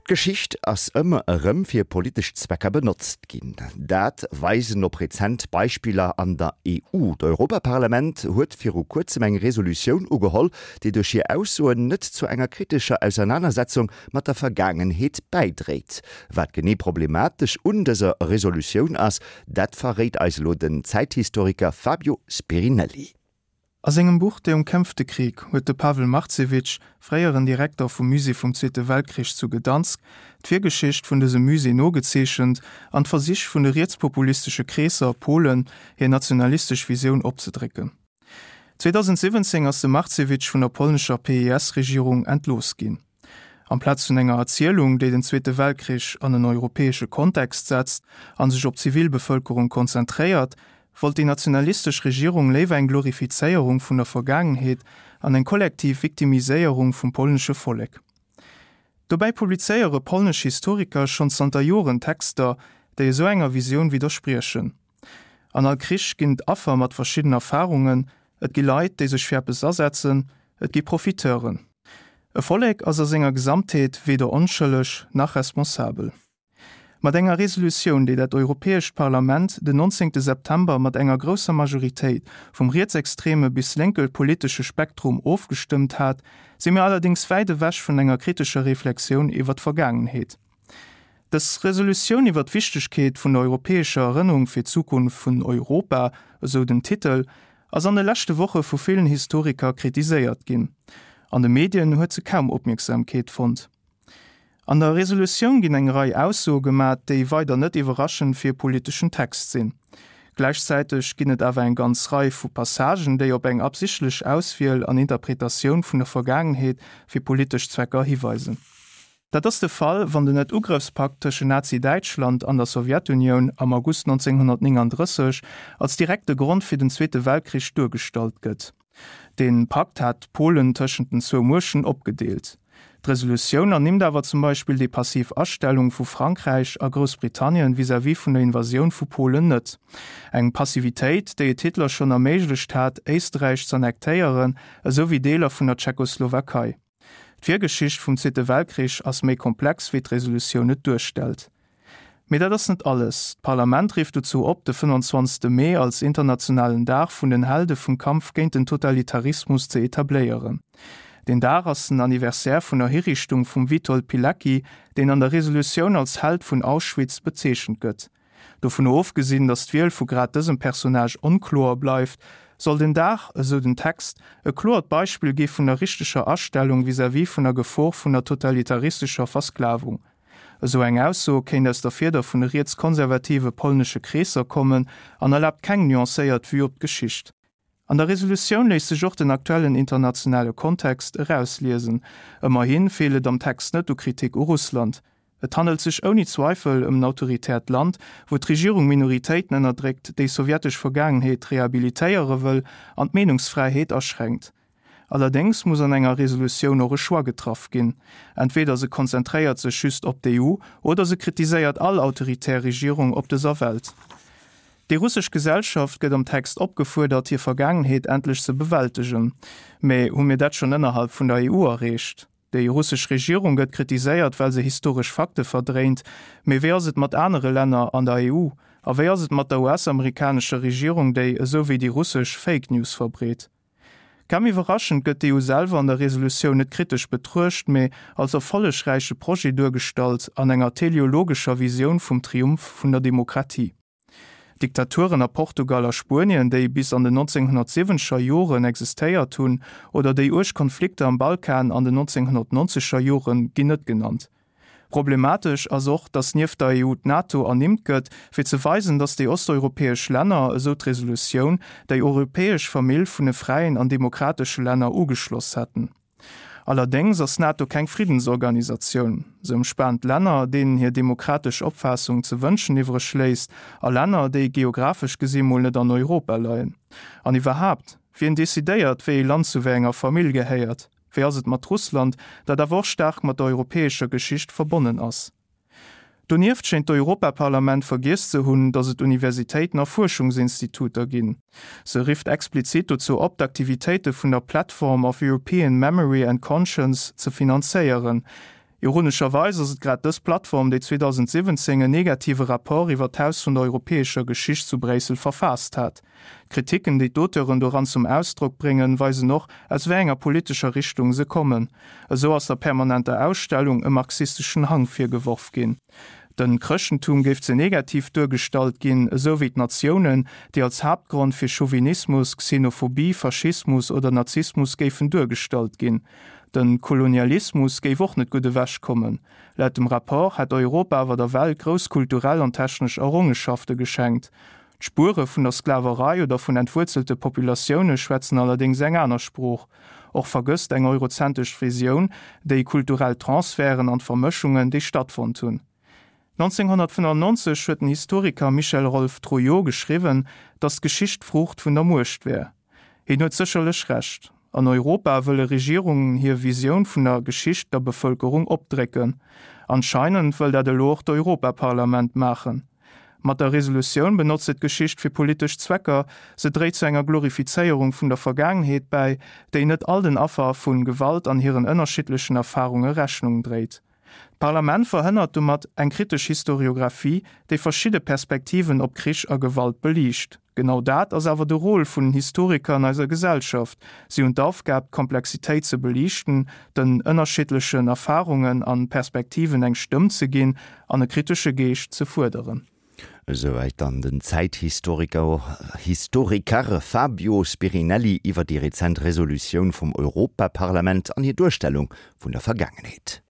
D'Geschicht ass ëmmer erëm fir politesch Zwecker benotzt ginn. Dat weisen op rezent Beispiller an der EU. D'Europaparlament huet viru kuerzem eng Resolutioun ugeholl, déi duerch hir Aussoen net zu enger kritescher Ausernanersetzung mat der Vergaangenheet bäidréit. Wat genee problematesch un dëser Resolutioun ass, dat verréit eis elo den Zäithistoriker Fabio Spirinelli. A sengem Buch Der umkämpfte Krieg huet de Pawel Marcewicz, fréieren Direkter vum Musée vum Zweete Weltkrich zu Gdansk, d'Virgeschicht vun dësem Musée nogezeechent an d'Versich vun de rietspopulistesche Kreesser a Polen, hir nationalistesch Visioun opzedrécken. 2017 ass de Marcewicz vun der polnescher PiS-Regierung entlooss ginn. Amplaz vun enger Erzielung, déi den Zweete Weltkrich an en europäesche Kontext setzt a sech op d'Zivilbevëlkerung konzentréiert, wollt déi nationalistesch Regierung léiwer eng Glorifizéierung vun der Vergaangenheet an eng kollektiv Victimiséierung vum polnesche Vollek. Dobäi publizéiere polnesch Historiker schonn zanter Joren Texter, déi esou enger Visioun widderspriechen. An all Krich ginn et Affer mat verschidden Erfarungen, et gi Leit, déi sech fir eppes asetzen, et gi Profiteuren. E Vollek ass a senger Gesamtheet weder onschëlleg nach responsabel. Mat enger Resolutioun, déi dat Europäescht Parlament den 19 September mat enger grousser Majoritéit vum rietsextreme bis lénke politesche Spektrum ofgestëmmt hat, si mir allerdéngs wäit ewech vun enger kritescher Reflexioun iwwer d'Vergaangenheet. Dës Resolutioun iwwer d'Wichtegkeet vun der europäescher Erënnerung fir d'Zukunft vun Europa, esou den Titel, ass an de leschte Woche vu villen Historiker kritiséiert ginn. An de Medien huet se kaum Opmierksamkeet fonnt. An der Resolutioun ginn eng Rei Aussoe gemat, déi weider net iwwerraschend fir e politeschen Text sinn. Gläichzäiteg ginn et awer eng ganz Rei vu Passagen, déi op eng absichtlech Auswiel an Interpretatioun vun der Vergaangenheet fir politesch Zwecker hiweisen. Dat ass de Fall, wann den Net-Ugrëffspakt tëschen Nazi-Däitschland an der Sowjetunioun am August 1939 als direkte Grond fir den Zweete Weltkrich duergestallt gëtt. Dee Pakt hat Polen tëschent den zwou Muechten opgedeelt. D'Resolutioun ernimmt awer zum Beispill déi passiv Astellung vu Frankräich a Groussbritannien vis-à-vis vun der Invasioun vu Polen net. Eng Passivitéit, déi et Hitler schonn erméiglecht hat, Éisträich z'annektéieren, esou wéi Deeler vun der Tschechoslowakei. D'Virgeschicht vum Zweete Weltkrich ass méi komplex wéi d'Resolutioun et duerstellt. Mee dat ass net alles. D'Parlament rifft dozou op, de 25. Mee als internationalen Dag vun den Helde vum Kampf géint den Totalitarismus ze etabléieren. Deen Dag ass den Anniversaire vun der Hiriichtung vum Witold Pilecki, deen an der Resolutioun als Held vun Auschwitz bezeechent gëtt. Dovun ofgesinn, datt d'Wiel vu grad dësem Personnage onkloer bleift, soll den Dag, esou den Text, e kloert Beispill gi vun der richteger Astellung vis-à-vis vun der Gefor vun der totalitaristescher Versklavung. Esou eng Ausso kéint aus der Fieder vun de rietskonservative polnesche Kreesser kommen an erlaabt keng nuancéiert Vue op d'Geschicht. An der Resolutioun léisst sech och den aktuellen internationale Kontext erausliesen. Ëmmerhi feelt et am Text net u Kritik u Russland. Et handelt sech ouni Zweifel ëm en autoritäert Land, wou d'Regierung Minoritéiten ënnerdréckt, déi sowjetesch Vergaangenheet rehabilitéiere wëll an d'Meenungsfräiheet aschränkt. Allerdéngs muss an enger Resolutioun och e Choix getraff ginn, Entweder se konzentréiert sech just op d'EU oder se kritiséiert all autoritär Regierung op dëser Welt. Déi russesch Gesellschaft gëtt am Text opgefuerdert, hir Vergaangenheet endlech ze bewältegen. Mä hu mir dat schonn ënnerhalb vun der EU erreecht? Déi russesch Regierung gëtt kritiséiert, well se historesch Fakte verdréint. Mee wéi ass et mat anere Länner an der EU? A wéi ass et mat der US-amerikanescher Regierung, déi, esou wéi déi russesch, Fake News verbreet? Kaum iwwerraschend gëtt d'EU selwer an der Resolutioun net kritesch betruecht, mee als erfollegräiche Projet duergestallt an enger teleologescher Visioun vum Triumph vun der Demokratie. Diktaturen a Portugal a Spuenien, déi bis an den 1970er Joren existéiert hunn, oder déi uerg Konflikter am Balkan an den 1990er Joren ginn net genannt. Problematesch ass och, datt nieft der EU d'NATO ernimmt gëtt, fir ze weisen, datt déi osteuropäesch Länner, esou d'Resolutioun, déi europäesch Famill vun de fräien an demokratesche Länner ugeschloss hätten. Allerdéngs ass d'NATO keng Friddensorganisatioun. Se ëmspaant Länner, deenen hir demokratesch Opfaassung ze wënschen iwwreg léisst, a Länner, déi geographesch gesi mol net an Europa leien. An iwwerhaapt, wien decidéiert, wéi ee Land zu wéi enger Famill gehéiert? Wéi ass et mat Russland, dat awer och staark mat der europäescher Geschicht verbonnen ass? Donieft schéint d'Europaparlament vergiess ze hunn, datt et Universitéiten a Fuerschungsinstituter ginn. Se rifft explizit dozou op, d'Aktivitéite vun der Platform of European Memory and Conscience ze finanzéieren. Ironescherweis ass et grad dës Plattform, déi 2017 en negative Rapport iwwer d'Haus vun der europäescher Geschicht zu Bréissel verfaasst hat. D'Kritiken, déi d'Auteuren doran zum Ausdrock bréngen, weisen och, aus wéi enger politescher Richtung se kommen. Esou ass der permanenter Ausstellung e marxisteschen Hang virgeworf ginn. Den Chrëschtentum géif ze negativ duergestallt ginn, esou wéi d'Natiounen, déi als Haaptgrond fir Chauvinismus, Xenophobie, Faschismus oder Nazismus géifen duergestallt ginn. Den Kolonialismus géif och net gutt ewech kommen. Laut dem Rapport hätt Europa awer der Welt grouss kulturell an technesch Errongenschafte geschenkt. D'Spuere vun der Sklaverei oder vun entwuerzelte Populatioune schwätzen allerdéngs eng aner Sprooch. Och vergësst eng eurozentesch Visioun déi kulturell Transferten an d'Vermëschungen, déi stattfonnt hunn. 1995 huet den Historiker Michel-Rolph Trouillot geschriwwen, datt d'Geschicht d'Fruucht vun der Muecht wär. Hien huet sécherlech Recht. An Europa wëlle Regierungen hir Visioun vun der Geschicht der Bevëlkerung opdrécken. Anscheinend wëll dat elo och d'Europaparlament maachen. Mat der Resolutioun benotzt se d'Geschicht fir politesch Zwecker, se dréit zu enger Glorifizéierung vun der Vergaangenheet bäi, déi net all den Affer vu Gewalt an hiren ënnerschiddlechen Erfarunge Rechnung dréit. D'Parlament verhënnert domat eng kritesch Historiographie, déi verschidde Perspektiven op Krich a Gewalt beliicht. Genau dat ass awer de Rôle vun den Historiker an eiser Gesellschaft, Si hunn d'Aufgab, d'Komplexitéit ze beliichten, den ënnerschiddlechen Erfarungen an Perspektiven eng Stëmm ze ginn an e kritesche Geescht ze fuerderen. Esouwäit dann den Zäithistoriker Historiker Fabio Spirinelli iwwer déi rezent Resolutioun vum Europaparlament an hir Duerstellung vun der Vergaangenheet.